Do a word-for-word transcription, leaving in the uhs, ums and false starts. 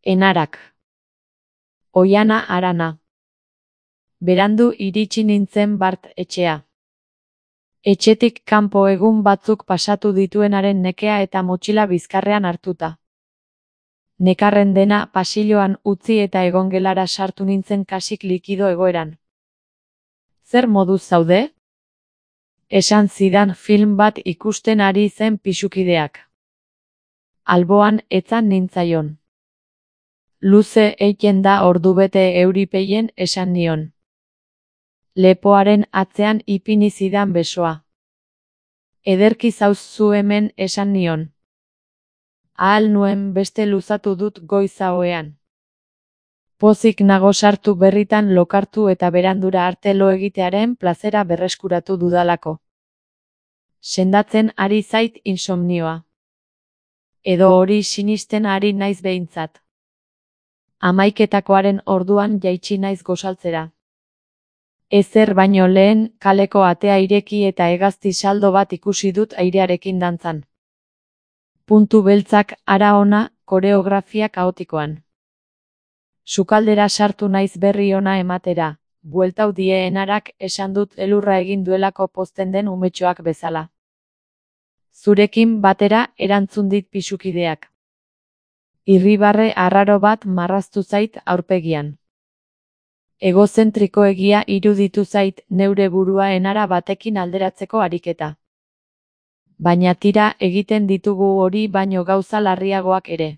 Enarak. Oiana Arana. Berandu iritsi nintzen bart etxea. Etxetik kanpo egun batzuk pasatu dituenaren nekea eta motxila bizkarrean hartuta. Nekarren dena pasilloan utzi eta egongelara sartu nintzen kasik likido egoeran. Zer moduz zaude? Esan zidan film bat ikusten ari zen pisukideak. Alboan etzan nintzaion. Luze eiten da ordubete euripeien esan nion. Lepoaren atzean ipini zidan besoa. Ederki zauz zu hemen esan nion. Ahal nuen beste luzatu dut goiza oean. Pozik nago sartu berritan lokartu eta berandura arte lo egitearen plazera berreskuratu dudalako. Sendatzen ari zait insomnioa. Edo hori sinisten ari naiz behintzat. Hamaiketakoaren orduan jaitsi naiz gozaltzera. Ezer baino lehen kaleko atea ireki eta hegazti saldo bat ikusi dut airearekin dantzan. Puntu beltzak hara ona koreografia kaotikoan. Sukaldera sartu naiz berri ona ematera, bueltau die Enarak esan dut elurra egin duelako pozten den umetxoak bezala. Zurekin batera erantzun dit pisukideak. Irribarre arraro bat marraztu zait aurpegian. Egozentrikoegia iruditu zait neure burua Enara batekin alderatzeko ariketa. Baina tira egiten ditugu hori baino gauza larriagoak ere.